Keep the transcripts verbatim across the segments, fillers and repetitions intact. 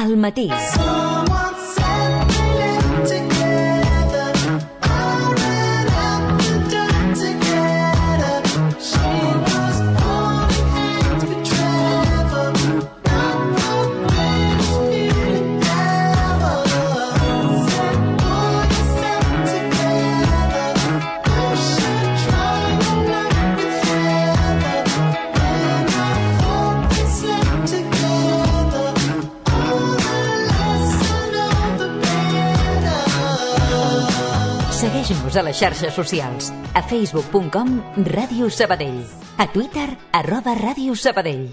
al matí. Segueix-nos a les xarxes socials. A facebook punt com Ràdio Sabadell. A Twitter, arroba Ràdio Sabadell.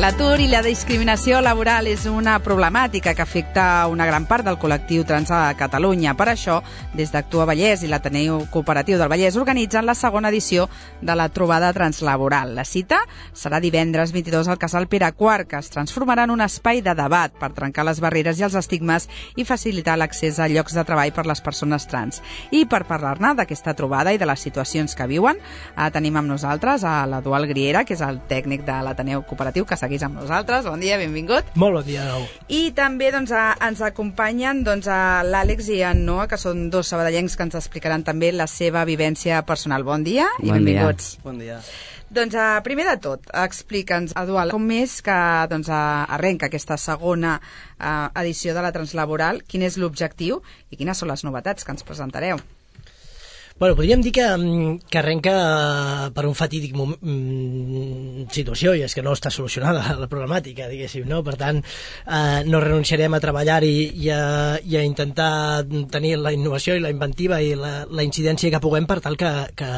L'atur i la discriminació laboral és una problemàtica que afecta una gran part del col·lectiu trans a Catalunya. Per això, des d'Actua Vallès i l'Ateneu Cooperatiu del Vallès organitzen la segona edició de la trobada translaboral. La cita serà divendres vint-i-dos al Casal Pere quart, que es transformarà en un espai de debat per trencar les barreres i els estigmes i facilitar l'accés a llocs de treball per les persones trans. I per parlar-ne d'aquesta trobada i de les situacions que viuen, eh, tenim amb nosaltres a l'Eduard Griera, que és el tècnic de l'Ateneu Cooperatiu, que segueix amb nosaltres. Bon dia, benvingut. Molt bon dia, nou. I també doncs, a, ens acompanyen doncs, a l'Àlex i en Noa, que són dos sabadellencs que ens explicaran també la seva vivència personal. Bon dia i bon benvinguts. Dia. Bon dia. Doncs a, primer de tot, explica'ns, Eduard, com és que doncs, a, arrenca aquesta segona a, edició de la translaboral, quin és l'objectiu i quines són les novetats que ens presentareu? Bueno, podríem dir que, que arrenca per un fatídic moment, situació, i és que no està solucionada la problemàtica, diguéssim, no? Per tant, eh, no renunciarem a treballar-hi i, a, i a intentar tenir la innovació i la inventiva i la, la incidència que puguem per tal que, que,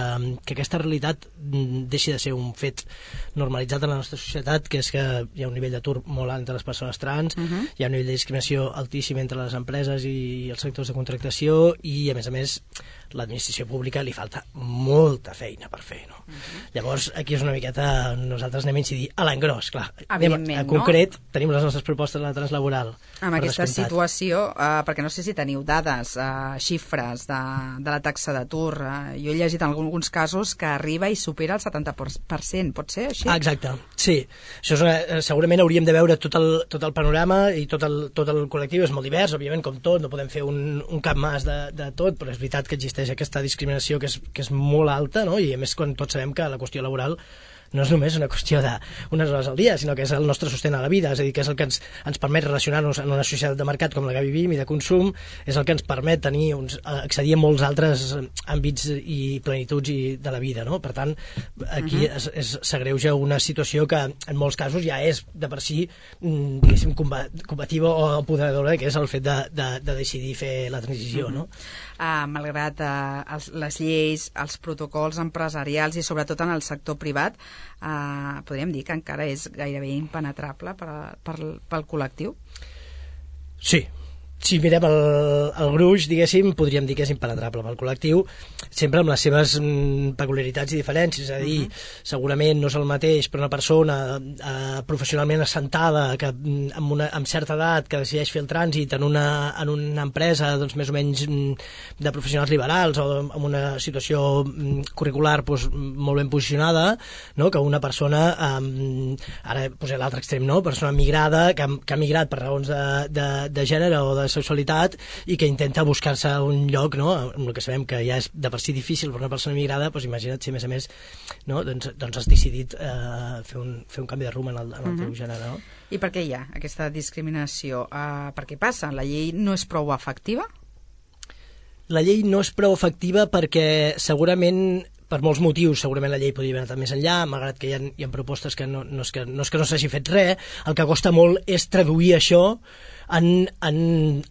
que aquesta realitat deixi de ser un fet normalitzat en la nostra societat, que és que hi ha un nivell d'atur molt alt entre les persones trans, uh-huh. hi ha un nivell de discriminació altíssim entre les empreses i els sectors de contractació i, a més a més, l'administració pública li falta molta feina per fer, no? Uh-huh. Llavors, aquí és una miqueta, nosaltres anem a incidir a l'engròs, clar. Anem a, a concret, no? Tenim les nostres propostes de la translaboral. Amb aquesta descomptat. Situació, eh, perquè no sé si teniu dades, eh, xifres de, de la taxa d'atur. Eh, jo he llegit en alguns casos que arriba i supera el setanta per cent, pot ser així? Ah, exacte, sí. Això és una, segurament hauríem de veure tot el, tot el panorama i tot el, tot el col·lectiu és molt divers, òbviament, com tot, no podem fer un, un cap mas de, de tot, però és veritat que existeix aquesta discriminació que és, que és molt alta, no? I a més quan tots sabem que la qüestió laboral no és només una qüestió d'unes hores al dia, sinó que és el nostre sostén a la vida, és a dir, que és el que ens, ens permet relacionar-nos en una societat de mercat com la que vivim i de consum, és el que ens permet tenir uns, accedir a molts altres àmbits i plenituds i de la vida, no? Per tant, aquí uh-huh. es, es, s'agreuja una situació que en molts casos ja és de per si, diguéssim, combativa o apoderadora, que és el fet de, de, de decidir fer la transició, uh-huh. no? Uh, malgrat uh, els, les lleis, els protocols empresarials i sobretot en el sector privat, uh, podríem dir que encara és gairebé impenetrable per, per, pel col·lectiu? Sí. Si mirem el, el gruix, diguéssim, podríem dir que és impenetrable pel col·lectiu, sempre amb les seves mm, peculiaritats i diferències, és a dir, uh-huh. segurament no és el mateix per una persona eh, professionalment assentada, que, amb, una, amb certa edat, que decideix fer el trànsit en una, en una empresa doncs, més o menys mm, de professionals liberals o amb una situació mm, curricular doncs, molt ben posicionada, no? Que una persona, eh, ara posem l'altre extrem, no? Persona migrada, que, que ha migrat per raons de, de, de gènere o de sexualitat i que intenta buscar-se un lloc, no? Amb el que sabem que ja és de per si difícil per una persona migrada, doncs imagina't si a més a més no? doncs, doncs has decidit eh, fer, un, fer un canvi de rumb en el, en el uh-huh. teu gènere, no? I per què hi ha aquesta discriminació? Uh, per què passa? La llei no és prou efectiva? La llei no és prou efectiva perquè segurament per molts motius, segurament la llei podria haver anat més enllà, malgrat que hi ha, hi ha propostes que no, no és que no, és que no s'hagi fet res, el que costa molt és traduir això en, en,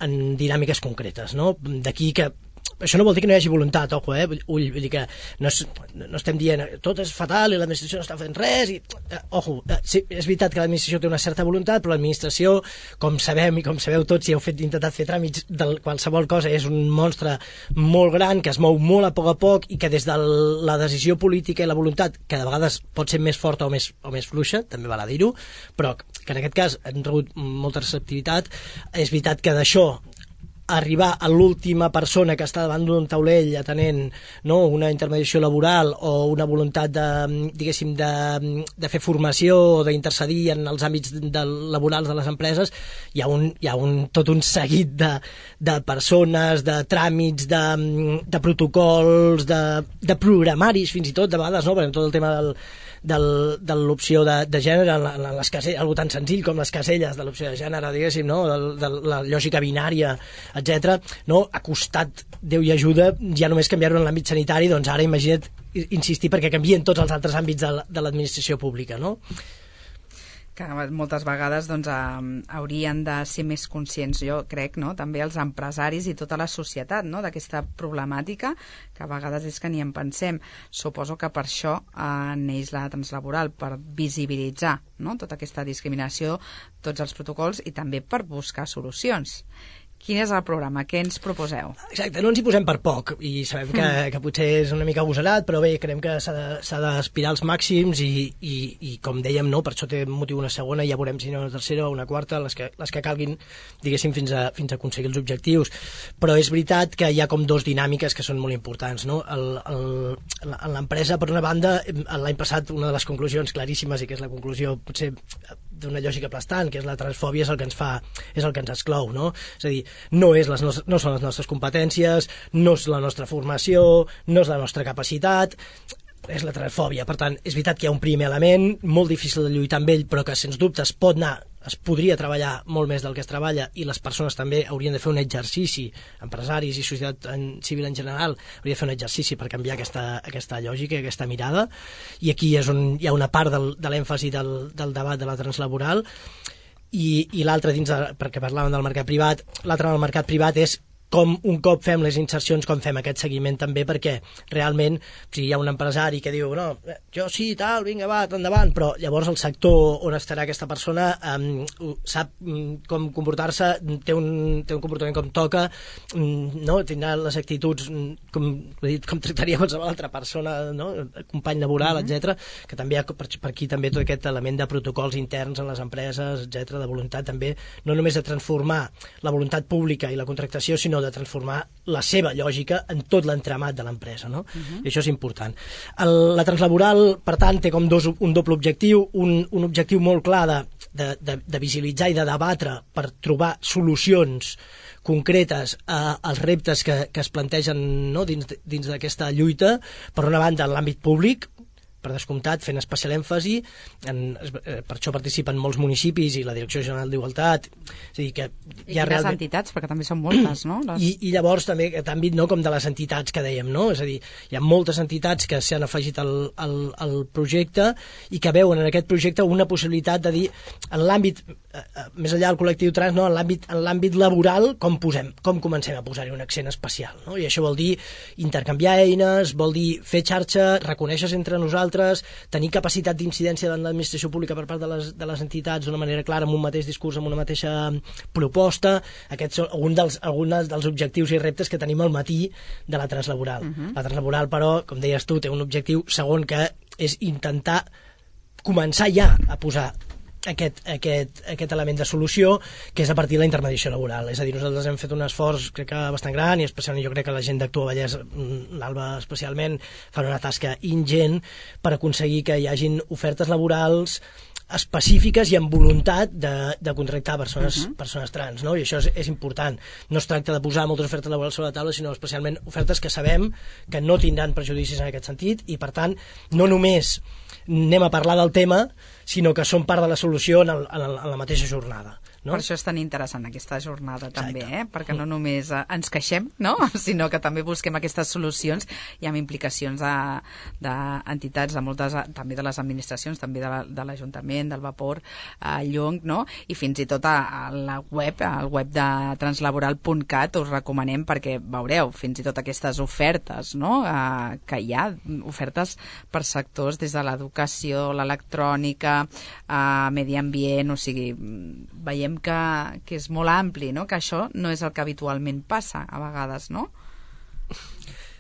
en dinàmiques concretes, no? D'aquí que això no vol dir que no hi hagi voluntat, ojo, eh? Ull, vull dir que no, és, no estem dient tot és fatal i l'administració no està fent res i, eh, ojo, eh, sí, és veritat que l'administració té una certa voluntat, però l'administració, com sabem i com sabeu tots, si heu fet, intentat fer tràmits de qualsevol cosa, és un monstre molt gran que es mou molt a poc a poc i que des de la decisió política i la voluntat, que de vegades pot ser més forta o més, o més fluixa, també val a dir-ho, però que en aquest cas han rebut molta receptivitat. És veritat que d'això arribar a l'última persona que està davant d'un taulell atenent, no, una intermediació laboral o una voluntat de, diguéssim, de, de fer formació o d'intercedir en els àmbits de, laborals de les empreses, hi ha, un, hi ha un, tot un seguit de, de persones, de tràmits, de, de protocols, de, de programaris fins i tot, de vegades, no? Perquè tot el tema del Del, de l'opció de, de gènere en les caselles, algo tan senzill com les caselles de l'opció de gènere, diguéssim, no? de, de la lògica binària, etcètera, no? Ha costat Déu i ajuda ja només canviar-ho en l'àmbit sanitari, doncs ara imagina't insistir perquè canvien tots els altres àmbits de, de l'administració pública, no? Que moltes vegades doncs, haurien de ser més conscients, jo crec, no? També els empresaris i tota la societat, no? D'aquesta problemàtica, que a vegades és que ni en pensem. Suposo que per això eh, neix la translaboral, per visibilitzar, no? Tota aquesta discriminació, tots els protocols i també per buscar solucions. Quin és el programa? Què ens proposeu? Exacte, no ens hi posem per poc i sabem que, mm. que potser és una mica agosarat, però bé, creiem que s'ha d'aspirar als màxims i, i, i com dèiem, no, per això té motiu una segona i ja veurem si no una tercera o una quarta, les que, les que calguin, diguéssim, fins a, fins a aconseguir els objectius. Però és veritat que hi ha com dos dinàmiques que són molt importants, no? L'empresa, per una banda, l'any passat una de les conclusions claríssimes i que és la conclusió potser d'una lògica aplastant, que és la transfòbia, és el que ens fa, és el que ens exclou, no? És a dir, no, és les nostres, no són les nostres competències, no és la nostra formació, no és la nostra capacitat, és la transfòbia. Per tant, és veritat que hi ha un primer element molt difícil de lluitar amb ell, però que sens dubte es pot anar, es podria treballar molt més del que es treballa i les persones també haurien de fer un exercici, empresaris i societat en, civil en general, hauria de fer un exercici per canviar aquesta, aquesta lògica, aquesta mirada, i aquí és on hi ha una part del, de l'èmfasi del, del debat de la translaboral. I, i l'altre dins de, perquè parlàvem del mercat privat, l'altre del mercat privat és com un cop fem les insercions, com fem aquest seguiment també, perquè realment si hi ha un empresari que diu no, jo sí, tal, vinga, va, endavant, però llavors el sector on estarà aquesta persona um, sap um, com comportar-se, té un, té un comportament com toca, um, no? Tindrà les actituds com, dit, com tractaria qualsevol altra persona, no? Company laboral, mm-hmm. etcètera, que també hi ha per, per aquí també tot aquest element de protocols interns en les empreses, etcètera, de voluntat també, no només de transformar la voluntat pública i la contractació, sinó de transformar la seva lògica en tot l'entramat de l'empresa, no? Uh-huh. I això és important. El, la translaboral, per tant, té com dos, un doble objectiu, un, un objectiu molt clar de, de, de, de visibilitzar i de debatre per trobar solucions concretes a, als reptes que, que es plantegen, no? dins, dins d'aquesta lluita, per una banda en l'àmbit públic, per descomptat, fent especial èmfasi, en, per això participen molts municipis i la Direcció General d'Igualtat. És a dir, que I quines realment... entitats, perquè també són moltes, no? Les... I, I llavors també aquest àmbit, no?, com de les entitats que dèiem, no? És a dir, hi ha moltes entitats que s'han afegit al, al, al projecte i que veuen en aquest projecte una possibilitat de dir, en l'àmbit, eh, més enllà del col·lectiu trans, no?, en l'àmbit en l'àmbit laboral, com posem, com comencem a posar-hi un accent especial, no? I això vol dir intercanviar eines, vol dir fer xarxa, reconèixer entre nosaltres, tenir capacitat d'incidència davant l'administració pública per part de les, de les entitats d'una manera clara, amb un mateix discurs, amb una mateixa proposta. Aquests són alguns dels, alguns dels objectius i reptes que tenim al matí de la translaboral. Uh-huh. La translaboral, però, com deies tu, té un objectiu segon, que és intentar començar ja a posar Aquest, aquest, aquest element de solució, que és a partir de la intermediació laboral. És a dir, nosaltres hem fet un esforç, crec que bastant gran, i especialment jo crec que la gent d'Actua Vallès, l'Alba especialment, fan una tasca ingent per aconseguir que hi hagin ofertes laborals específiques i amb voluntat de, de contractar persones, uh-huh. persones trans, no? I això és, és important. No es tracta de posar moltes ofertes laborals sobre la taula, sinó especialment ofertes que sabem que no tindran prejudicis en aquest sentit i, per tant, no només anem a parlar del tema, sinó que són part de la solució en, el, en, el, en la mateixa jornada. no? Per això és tan interessant aquesta jornada. Exacte. També, eh? Perquè no només eh, ens queixem, no? Sinó que també busquem aquestes solucions i amb implicacions d'entitats, de, de moltes, també de les administracions, també de l'Ajuntament, del Vapor, a Llong, no? I fins i tot a, a la web, al web de translaboral punt cat us recomanem perquè veureu fins i tot aquestes ofertes, no? Eh, que hi ha, ofertes per sectors des de l'educació, l'electrònica, eh, medi ambient, o sigui, veiem que, que és molt ampli, no? Que això no és el que habitualment passa a vegades, no?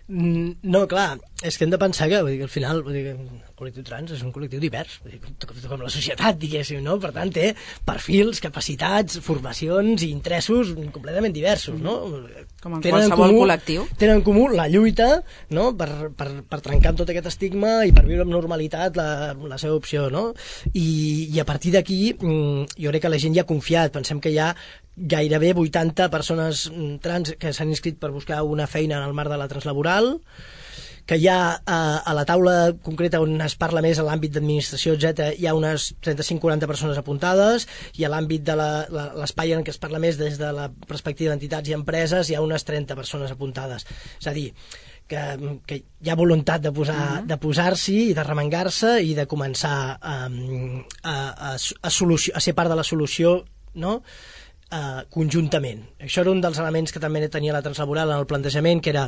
No, clar, és que hem de pensar que, vull dir, al final vull dir, el col·lectiu trans és un col·lectiu divers, vull dir, com la societat, diguéssim, no? Per tant, té perfils, capacitats, formacions i interessos completament diversos, no? Com en qualsevol comú, col·lectiu. Tenen en comú la lluita, no? per, per, per trencar amb tot aquest estigma i per viure amb normalitat la, la seva opció, no? I, i a partir d'aquí jo crec que la gent ja ha confiat, pensem que hi ha gairebé vuitanta persones trans que s'han inscrit per buscar una feina en el marc de la translaboral, que hi ha a, a la taula concreta on es parla més a l'àmbit d'administració, etcètera, hi ha unes trenta-cinc a quaranta persones apuntades, i a l'àmbit de l'espai en què es parla més des de la perspectiva d'entitats i empreses hi ha unes trenta persones apuntades. És a dir, que, que hi ha voluntat de posar, uh-huh. de posar-s'hi i de remengar-se i de començar a, a, a, a, solució, a ser part de la solució, no?, Uh, conjuntament. Això era un dels elements que també tenia la translaboral en el plantejament, que era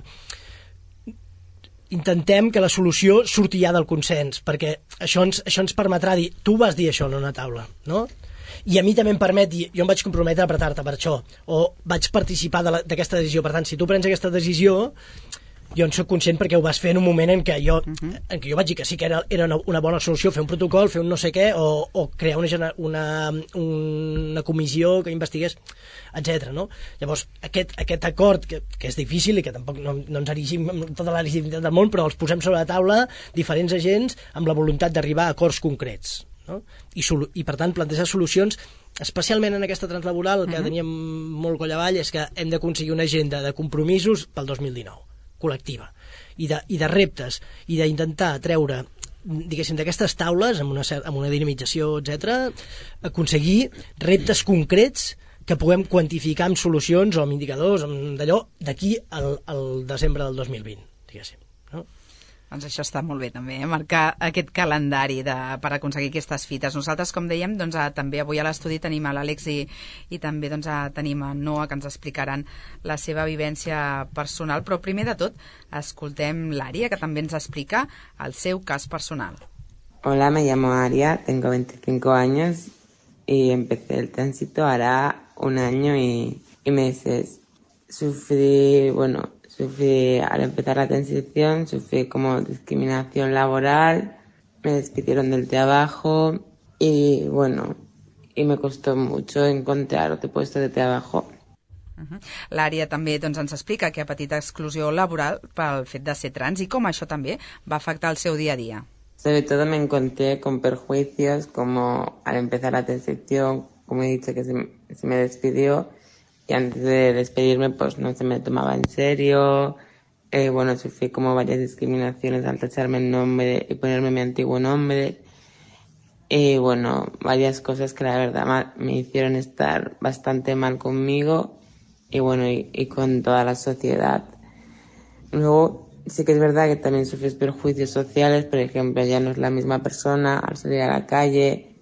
intentem que la solució surti ja del consens, perquè això ens, això ens permetrà dir, tu vas dir això en una taula, no? I a mi també em permet dir, jo em vaig comprometre a apretar-te per això, o vaig participar d'aquesta decisió. Per tant, si tu prens aquesta decisió, jo en soc conscient perquè ho vas fer en un moment en què jo, uh-huh. en què jo vaig dir que sí que era, era una, una bona solució fer un protocol, fer un no sé què, o, o crear una, una, una comissió que investigués, etcètera. No? Llavors, aquest, aquest acord, que, que és difícil i que tampoc no, no ens erigim amb tota la legitimitat del món, però els posem sobre la taula diferents agents amb la voluntat d'arribar a acords concrets. No? I, I per tant plantejar solucions, especialment en aquesta translaboral, que uh-huh. teníem molt coll avall, és que hem d'aconseguir una agenda de compromisos pel dos mil dinou col·lectiva, i de, i de reptes, i d'intentar treure, diguéssim, d'aquestes taules, amb una, amb una dinamització, etcètera, aconseguir reptes concrets que puguem quantificar amb solucions o amb indicadors, amb d'allò, d'aquí al, al desembre del dos mil vint, diguéssim. No? Doncs això està molt bé també, eh? Marcar aquest calendari de, per aconseguir aquestes fites. Nosaltres, com dèiem, doncs, a, també avui a l'estudi tenim a l'Àlex i, i també doncs, a, tenim a Noa, que ens explicaran la seva vivència personal, però primer de tot escoltem l'Ària, que també ens explica el seu cas personal. Hola, me llamo Aria, tengo veinticinco años y empecé el tránsito hará un año y, y meses. Sufrí, bueno... Sufrí, al empezar la transición, sufrí como discriminación laboral, me despidieron del trabajo y, bueno, y me costó mucho encontrar otro puesto de trabajo. Uh-huh. L'Ària també doncs, ens explica que ha patit exclusió laboral pel fet de ser trans i com això també va afectar el seu dia a dia. Sobre todo me encontré con perjuicios como al empezar la transición, como he dicho que se, se me despidió, y antes de despedirme pues no se me tomaba en serio, eh, bueno, sufrí como varias discriminaciones al tacharme el nombre y ponerme mi antiguo nombre, y bueno, varias cosas que la verdad me hicieron estar bastante mal conmigo y bueno, y, y con toda la sociedad. Luego sí que es verdad que también sufres perjuicios sociales, por ejemplo, ya no es la misma persona al salir a la calle,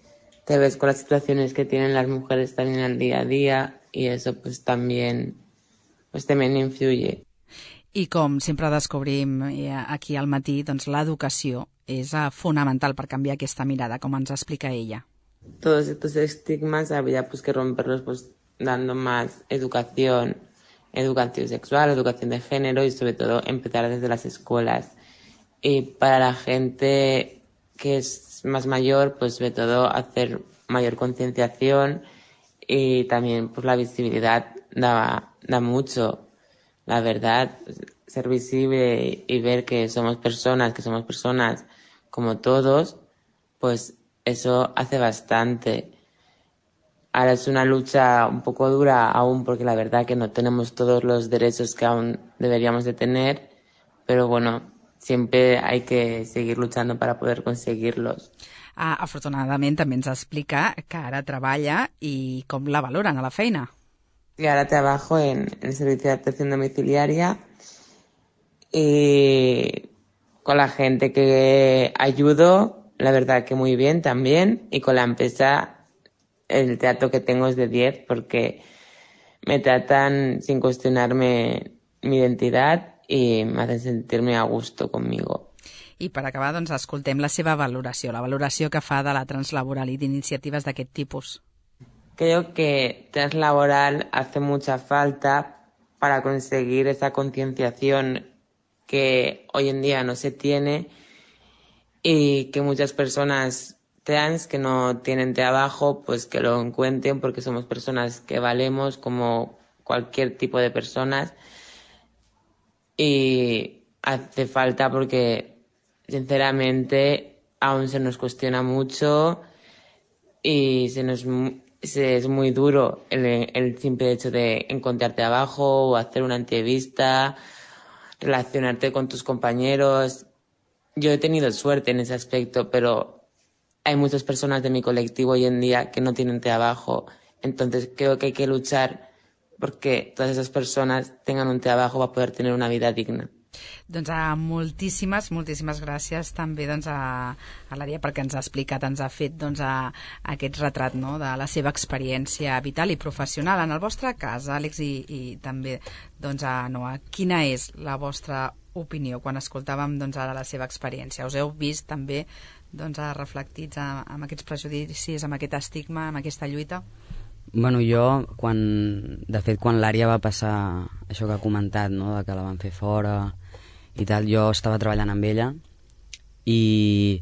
te ves con las situaciones que tienen las mujeres también al día a día, y eso pues también, pues también influye. I com sempre descobrim aquí al matí, doncs l'educació és fonamental per canviar aquesta mirada, com ens explica ella. Todos estos estigmas habría pues que romperlos pues dando más educación, educación sexual, educación de género y sobre todo empezar desde las escuelas. Y para la gente que es más mayor, pues sobre todo hacer mayor concienciación. Y también pues la visibilidad da, da mucho, la verdad, ser visible y ver que somos personas, que somos personas como todos, pues eso hace bastante. Ahora es una lucha un poco dura aún porque la verdad que no tenemos todos los derechos que aún deberíamos de tener, pero bueno, siempre hay que seguir luchando para poder conseguirlos. Uh, afortunadament també ens explica que ara treballa i com la valoren a la feina. Y ahora trabajo en el servicio de atención domiciliaria y con la gente que ayudo, la verdad que muy bien también, y con la empresa el trato que tengo es de diez porque me tratan sin cuestionarme mi identidad y me hacen sentirme a gusto conmigo. I per acabar, doncs, escoltem la seva valoració, la valoració que fa de la translaboral i d'iniciatives d'aquest tipus. Creo que translaboral hace mucha falta para conseguir esa concienciación que hoy en día no se tiene y que muchas personas trans que no tienen trabajo, pues que lo encuentren porque somos personas que valemos como cualquier tipo de personas y hace falta porque sinceramente aún se nos cuestiona mucho y se nos se, es muy duro el, el simple hecho de encontrar trabajo o hacer una entrevista, relacionarte con tus compañeros. Yo he tenido suerte en ese aspecto, pero hay muchas personas de mi colectivo hoy en día que no tienen trabajo. Entonces creo que hay que luchar porque todas esas personas tengan un trabajo para poder tener una vida digna. Doncs a moltíssimes, moltíssimes gràcies també doncs, a, a l'Ària perquè ens ha explicat, ens ha fet doncs, a, a aquest retrat, no?, de la seva experiència vital i professional. En el vostre cas, Àlex, i, i també doncs, a Noa, quina és la vostra opinió quan escoltàvem doncs, ara la seva experiència? Us heu vist també doncs, reflectits amb aquests prejudicis, amb aquest estigma, amb aquesta lluita? Bueno, jo, quan, de fet, quan l'Ària va passar això que ha comentat, no?, de que la van fer fora i tal, jo estava treballant amb ella i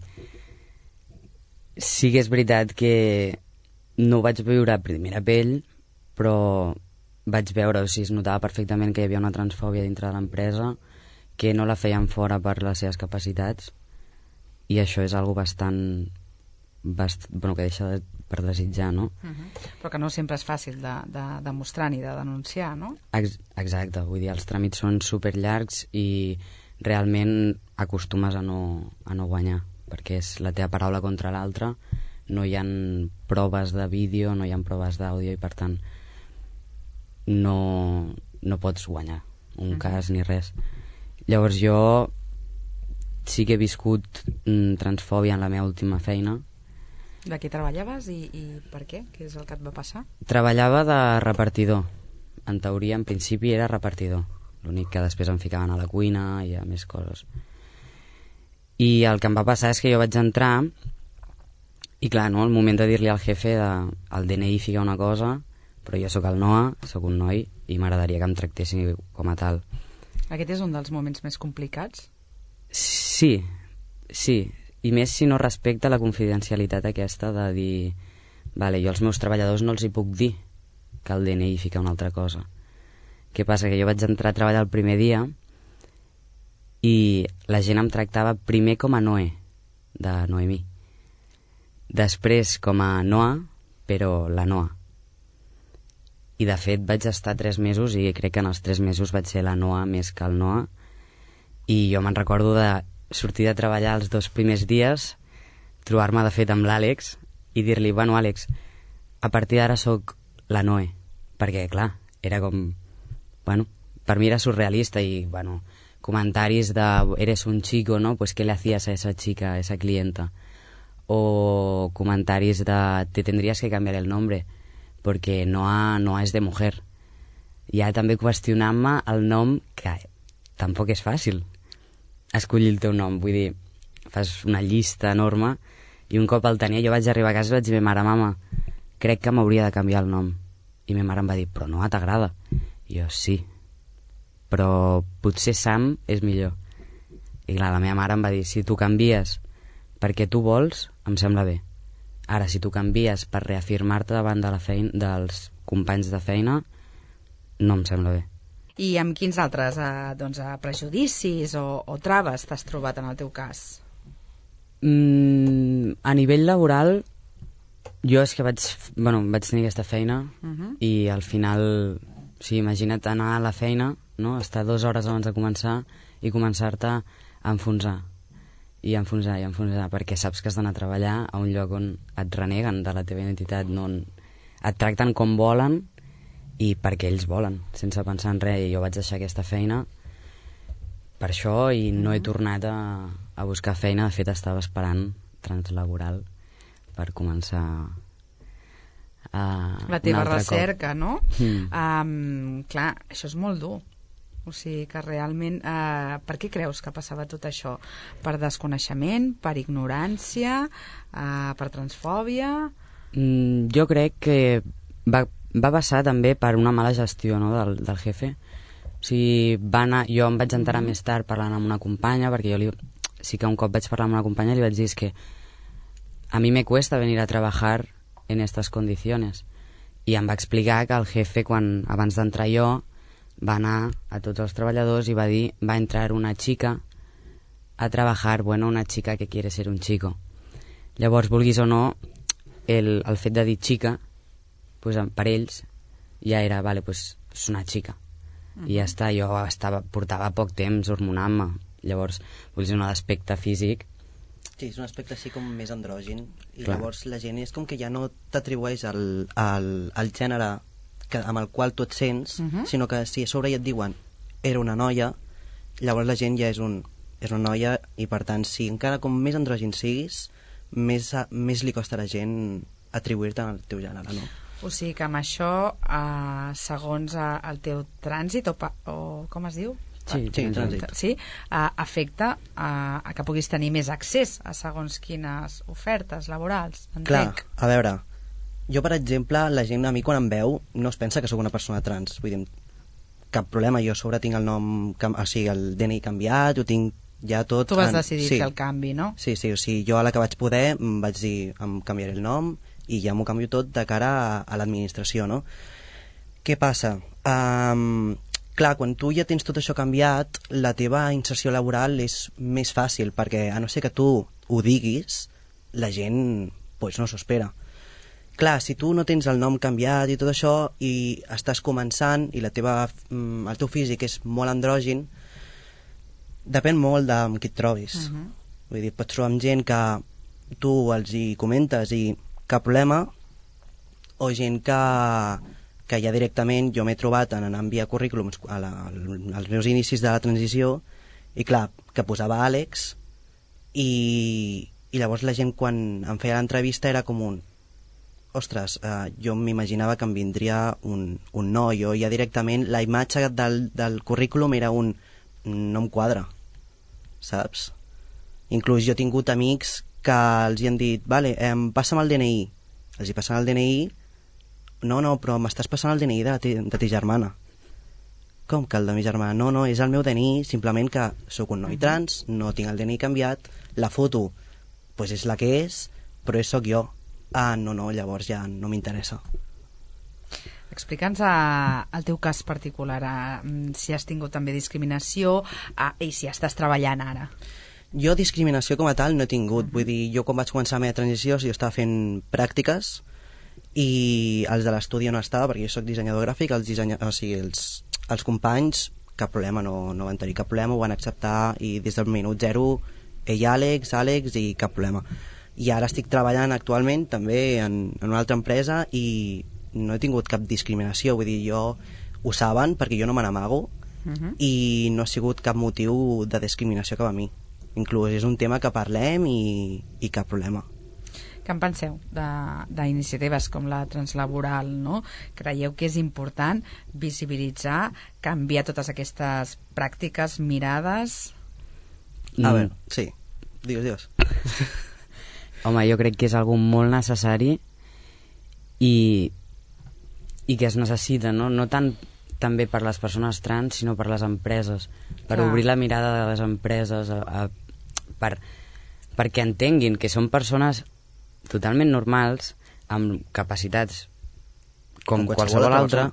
sí que és veritat que no ho vaig viure a primera pell, però vaig veure, o sigui, es notava perfectament que hi havia una transfòbia dintre de l'empresa, que no la feien fora per les seves capacitats, i això és algo bastant, bast... bueno, que deixa de, per desitjar, no? Uh-huh. Però que no sempre és fàcil de, de demostrar ni de denunciar, no? Ex exacte, vull dir, els tràmits són super llargs i realment acostumes a no, a no guanyar, perquè és la teva paraula contra l'altra, no hi ha proves de vídeo, no hi ha proves d'àudio i per tant no, no pots guanyar un uh-huh. cas ni res. Llavors jo sí que he viscut mm, transfòbia en la meva última feina. De què treballaves i, i per què? Què és el que et va passar? Treballava de repartidor. En teoria, en principi, era repartidor. L'únic que després em ficaven a la cuina i a més coses. I el que em va passar és que jo vaig entrar i clar, no, al moment de dir-li al jefe de, el D N I fica una cosa, però jo sóc el Noa, sóc un noi i m'agradaria que em tractessin com a tal. Aquest és un dels moments més complicats? Sí, sí. I més si no respecta la confidencialitat aquesta de dir vale, jo als meus treballadors no els hi puc dir que el D N I fica una altra cosa. Què passa? Que jo vaig entrar a treballar el primer dia i la gent em tractava primer com a Noé, de Noemí. Després com a Noa, però la Noa. I de fet vaig estar tres mesos i crec que en els tres mesos vaig ser la Noa més que el Noa. I jo me'n recordo de sortir de treballar els dos primers dies, trobar-me de fet amb l'Àlex i dir-li, bueno, Àlex, a partir d'ara sóc la Noe, perquè clar, era com, bueno, per mi era surrealista i, bueno, comentaris de eres un chico, ¿no? Pues ¿qué le hacías a esa chica, a esa clienta? O comentaris de te tendrías que cambiar el nombre porque Noa, Noa és de mujer. I ara també qüestionant-me el nom, que tampoc és fàcil escollir el teu nom, vull dir, fas una llista enorme i un cop el tenia jo vaig arribar a casa i vaig dir a ma mare, mama, crec que m'hauria de canviar el nom. I ma mare em va dir, però no t'agrada? I jo, sí, però potser Sam és millor. I clar, la meva mare em va dir, si tu canvies perquè tu vols, em sembla bé. Ara, si tu canvies per reafirmar-te davant de la feina, dels companys de feina, no em sembla bé. I amb quins altres eh, doncs, eh, prejudicis o, o traves t'has trobat en el teu cas? Mm, a nivell laboral, jo és que vaig, bueno, vaig tenir aquesta feina uh-huh. i al final, o sigui, imagina't anar a la feina, no? Estar dues hores abans de començar i començar-te a enfonsar. i enfonsar, i enfonsar, perquè saps que has d'anar a treballar a un lloc on et reneguen de la teva identitat, no, et tracten com volen i perquè ells volen, sense pensar en res. I jo vaig deixar aquesta feina per això i no he tornat a, a buscar feina. De fet, estava esperant translaboral per començar a la teva recerca, cop. No? Mm. Um, clar, això és molt dur. O sigui que realment, eh, per què creus que passava tot això? Per desconeixement, per ignorància, eh, per transfòbia? Mm, jo crec que va, va passar també per una mala gestió, no, del, del jefe. O sigui, va anar, jo em vaig enterar mm. més tard parlant amb una companya, perquè jo li, sí que un cop vaig parlar amb una companya i li vaig dir que a mi me cuesta venir a trabajar en estas condiciones. I em va explicar que el jefe, quan, abans d'entrar jo, va anar a tots els treballadors i va dir, va entrar una chica a trabajar, bueno, una chica que quiere ser un chico. Llavors, vulguis o no, el, el fet de dir chica, pues, per ells ja era, vale, pues, és una chica. Uh-huh. I ja està, jo estava, portava poc temps hormonant-me. Llavors, vulguis o no, d'aspecte físic. Sí, és un aspecte així com més andrògin. I Clar. Llavors la gent és com que ja no t'atribueix al, al, al gènere que, amb el qual tu et sents, uh-huh. sinó que si a sobre ja et diuen era una noia, llavors la gent ja és, un, és una noia i per tant, si encara com més andrògin siguis, més, més li costa a la gent atribuir-te al teu gènere, no? O sigui que amb això, eh, segons eh, el teu trànsit, o, pa, o com es diu? Sí, sí, trànsit. Sí, eh, afecta a, a que puguis tenir més accés a segons quines ofertes laborals, entenc. Clar, a veure, jo, per exemple, la gent a mi quan em veu no es pensa que sóc una persona trans. Vull dir, cap problema, jo a sobre tinc el nom, o sigui, el D N I canviat, ho tinc ja tot... Tu vas en... decidir sí. fer el canvi, no? Sí, sí, o sigui, jo a la que vaig poder em vaig dir, em canviaré el nom i ja m'ho canvio tot de cara a, a l'administració, no? Què passa? Um, clar, quan tu ja tens tot això canviat, la teva inserció laboral és més fàcil, perquè a no ser que tu ho diguis, la gent pues, no s'ho espera. Clar, si tu no tens el nom canviat i tot això i estàs començant i la teva, el teu físic és molt andrògin, depèn molt de amb qui et trobis. Uh-huh. Vull dir, pots trobar amb gent que tu els hi comentes i cap problema, o gent que, que ja directament jo m'he trobat en anar a enviar currículums a la, als meus inicis de la transició i clar, que posava Àlex i, i llavors la gent quan em feia l'entrevista era com un ostres, eh, jo m'imaginava que em vindria un, un no, jo ja directament la imatge del, del currículum era un no em quadra, saps? Inclús jo he tingut amics que els hi han dit, vale, eh, passa'm el D N I, els hi passen el D N I, no, no, però m'estàs passant el D N I de, ti, de ti germana. Com que el de mi germana? No, no, és el meu D N I, simplement que sóc un noi trans, no tinc el D N I canviat, la foto pues és la que és, però és sóc jo. Ah, no, no, llavors ja no m'interessa. Explica'ns el teu cas particular, eh, si has tingut també discriminació eh, i si estàs treballant ara. Jo discriminació com a tal no he tingut. Uh-huh. Vull dir, jo quan vaig començar la meva transició jo estava fent pràctiques i els de l'estudi no estava perquè jo soc dissenyador gràfic, els, dissenya... o sigui, els, els companys cap problema, no, no van tenir cap problema, ho van acceptar i des del minut zero ell Àlex, Àlex i cap problema. I ara estic treballant actualment també en, en una altra empresa i no he tingut cap discriminació, vull dir, jo ho saben perquè jo no me n'amago uh-huh. i no ha sigut cap motiu de discriminació cap a mi. Inclús és un tema que parlem i, i cap problema. Què en penseu d'iniciatives com la translaboral, no? Creieu que és important visibilitzar, canviar totes aquestes pràctiques, mirades? Mm. A veure, sí, digues, digues. Home, jo crec que és algo molt necessari i, i que es necessita, no? No tant també per les persones trans, sinó per les empreses, per Clar. obrir la mirada de les empreses, a, a, per, perquè entenguin que són persones totalment normals, amb capacitats com, com qualsevol, qualsevol altra,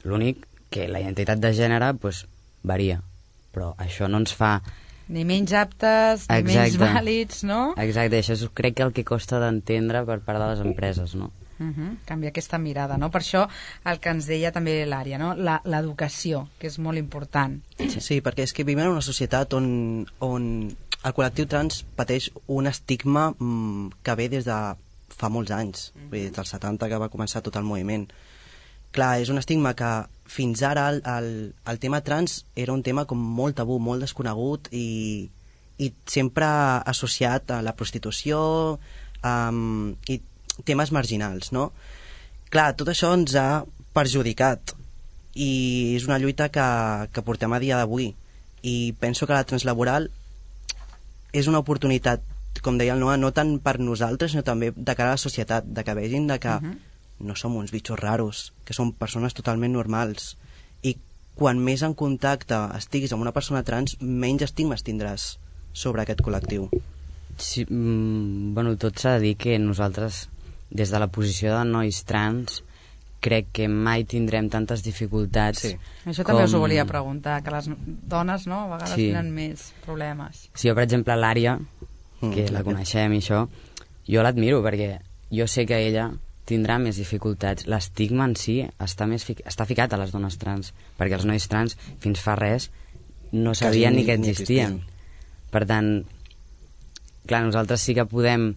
l'únic que la identitat de gènere pues, varia, però això no ens fa... Ni menys aptes, ni Exacte. menys vàlids, no? Exacte, això és, crec que el que costa d'entendre per part de les empreses, no? Uh-huh. Canviar aquesta mirada, no? Per això el que ens deia també l'Ària, no? L'educació, que és molt important. Sí, sí, perquè és que vivim en una societat on, on el col·lectiu trans pateix un estigma mm, que ve des de fa molts anys, mm-hmm. des dels setanta que va començar tot el moviment. Clar, és un estigma que fins ara el, el, el tema trans era un tema com molt tabú, molt desconegut i, i sempre associat a la prostitució um, i temes marginals, no? Clar, tot això ens ha perjudicat i és una lluita que, que portem a dia d'avui i penso que la translaboral és una oportunitat, com deia el Noa, no tant per nosaltres, sinó també de cara a la societat, de que vegin de que uh-huh. no som uns bitxos raros, que som persones totalment normals. I quan més en contacte estiguis amb una persona trans, menys estigmes tindràs sobre aquest col·lectiu. Sí, mm, bueno, tot s'ha de dir que nosaltres, des de la posició de nois trans, crec que mai tindrem tantes dificultats. Sí. Això com... també us ho volia preguntar, que les dones, no?, a vegades sí. tenen més problemes. Sí, jo, per exemple, l'Ària, que mm, la coneixem i això, jo l'admiro perquè jo sé que ella tindrà més dificultats. L'estigma en si està, més fi... està ficat a les dones trans, perquè els nois trans fins fa res no sabien ni, ni que existien. Per tant, clar, nosaltres sí que podem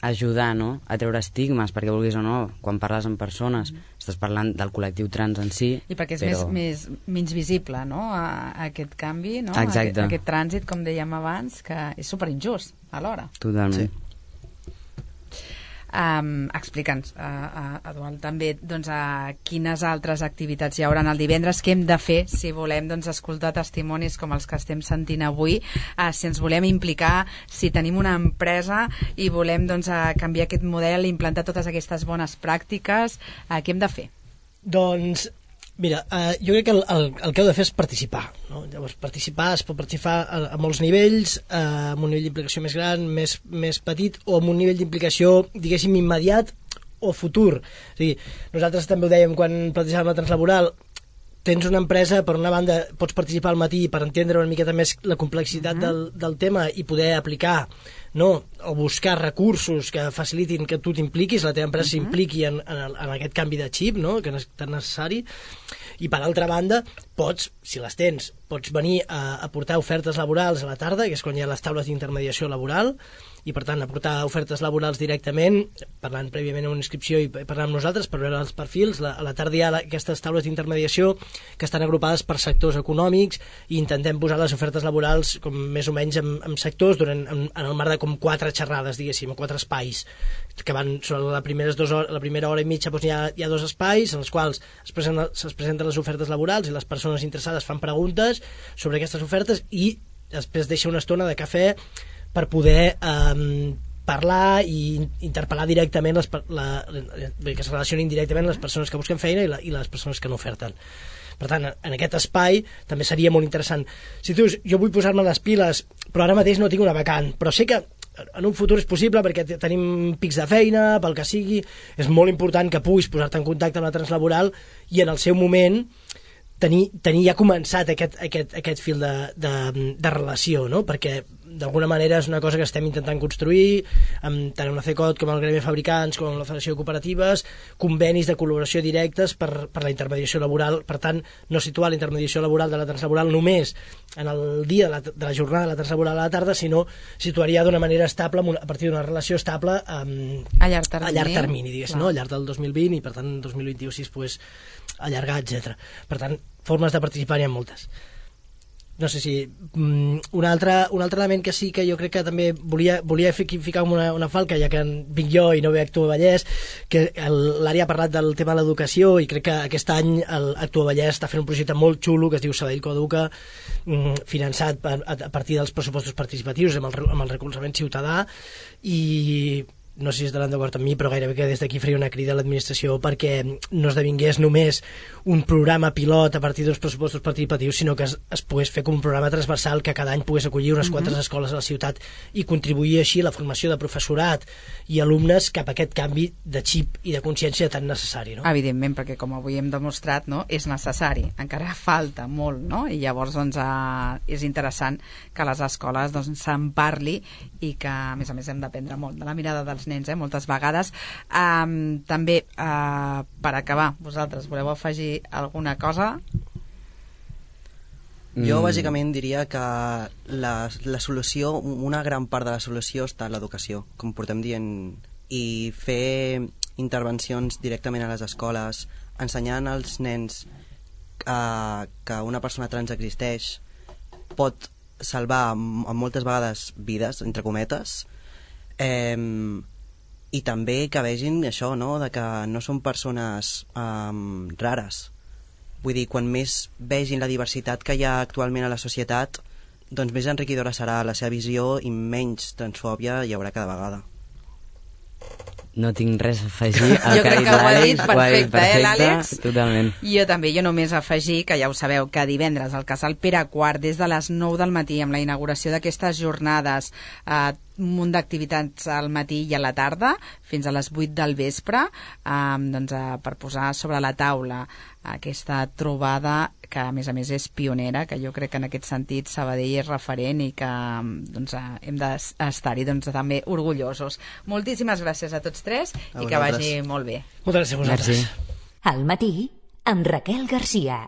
ajudar, no?, a treure estigmes, perquè vulguis o no, quan parles amb persones mm. estàs parlant del col·lectiu trans en si. I perquè és però... més, més, menys visible, no?, a, a aquest canvi, no?, exacte. A, a aquest trànsit, com dèiem abans, que és superinjust alhora. Totalment. Sí. Um, Explica'ns, uh, uh, Eduard, també doncs, uh, quines altres activitats hi haurà el divendres, què hem de fer si volem doncs, escoltar testimonis com els que estem sentint avui, uh, si ens volem implicar, si tenim una empresa i volem doncs, uh, canviar aquest model, implantar totes aquestes bones pràctiques, uh, què hem de fer? Doncs mira, eh, jo crec que el, el, el que heu de fer és participar, no? Llavors, participar es pot participar a, a molts nivells, eh, amb un nivell d'implicació més gran, més, més petit, o amb un nivell d'implicació, diguéssim, immediat o futur. O sigui, nosaltres també ho dèiem quan plantegàvem la translaboral, tens una empresa, per una banda pots participar al matí per entendre una miqueta més la complexitat uh-huh. del, del tema i poder aplicar, no, o buscar recursos que facilitin que tu t'impliquis, la teva empresa uh-huh. s'impliqui en, en, en aquest canvi de xip, no?, que és tan necessari. I per altra banda, pots, si les tens, pots venir a, a portar ofertes laborals a la tarda, que és quan hi ha les taules d'intermediació laboral, i per tant aportar ofertes laborals directament, parlant prèviament una inscripció i parlant amb nosaltres per veure els perfils. La, a la tarda hi ha la, aquestes taules d'intermediació que estan agrupades per sectors econòmics i intentem posar les ofertes laborals com més o menys en, en sectors durant, en, en el marc de com quatre xerrades, diguéssim, o quatre espais que van sobre la primera, dos hores, la primera hora i mitja doncs hi, ha, hi ha dos espais en els quals es presenten, es presenten les ofertes laborals i les persones interessades fan preguntes sobre aquestes ofertes i després deixa una estona de cafè per poder eh, parlar i interpel·lar directament les, la, que es relacionin directament les persones que busquen feina i, la, i les persones que no oferten. Per tant, en aquest espai també seria molt interessant. Si tu dius, jo vull posar-me les piles, però ara mateix no tinc una vacant, però sé que en un futur és possible perquè tenim pics de feina, pel que sigui, és molt important que puguis posar-te en contacte amb la translaboral i en el seu moment tenir, tenir ja començat aquest, aquest, aquest fil de, de, de relació, no? Perquè d'alguna manera és una cosa que estem intentant construir amb tant una CECOT com el Gremi de Fabricants com la Federació de Cooperatives, convenis de col·laboració directes per, per la intermediació laboral. Per tant, no situar la intermediació laboral de la translaboral només en el dia de la, de la jornada de la translaboral a la tarda, sinó situaria d'una manera estable una, a partir d'una relació estable um, a llarg termini, a llarg termini diguéssim, no? Al llarg del dos mil vint i per tant dos mil vint-i-u si es pogués allargar, etcètera. Per tant, formes de participar n'hi ha moltes. No sé si um, un, altre, un altre element que sí que jo crec que també volia, volia ficar una, una falca, ja que vinc jo i no ve Actua Vallès, que l'àrea ha parlat del tema de l'educació i crec que aquest any Actua Vallès està fent un projecte molt xulo que es diu Sabadell Coeduca, um, finançat a, a partir dels pressupostos participatius amb el, amb el recolzament ciutadà, i no sé si estaran d'acord amb mi, però gairebé que des d'aquí faria una crida a l'administració perquè no esdevingués només un programa pilot a partir dels pressupostos participatius, sinó que es, es pogués fer com un programa transversal que cada any pogués acollir unes quantes mm-hmm. escoles a la ciutat i contribuir així a la formació de professorat i alumnes cap a aquest canvi de xip i de consciència tan necessari, no? Evidentment, perquè com avui hem demostrat, no, és necessari, encara falta molt, no? I llavors doncs, eh, és interessant que les escoles doncs, se'n parli i que a més a més hem d'aprendre molt de la mirada dels nens, eh, moltes vegades. Um, també, uh, per acabar, vosaltres voleu afegir alguna cosa? Jo, Mm. bàsicament, diria que la, la solució, una gran part de la solució està en l'educació, com portem dient, i fer intervencions directament a les escoles, ensenyant als nens eh, que una persona trans existeix, pot salvar m- moltes vegades vides, entre cometes, eh, i també que vegin això, no?, de que no són persones eh, rares. Vull dir, quan més vegin la diversitat que hi ha actualment a la societat, doncs més enriquidora serà la seva visió i menys transfòbia hi haurà cada vegada. No tinc res a afegir. Jo crec que ho ha dit perfecte, eh, l'Àlex? Totalment. Jo també, jo només afegir, que ja ho sabeu, que divendres al Casal Pere quart, des de les nou del matí, amb la inauguració d'aquestes jornades, eh, un munt d'activitats al matí i a la tarda, fins a les vuit del vespre, eh, doncs, eh, per posar sobre la taula aquesta trobada que a més a més és pionera, que jo crec que en aquest sentit Sabadell és referent i que doncs, eh, hem d'estar-hi doncs, també orgullosos. Moltíssimes gràcies a tots tres A i que vosaltres. vagi molt bé. Moltes gràcies a vosaltres. Merci. Al matí, amb Raquel Garcia.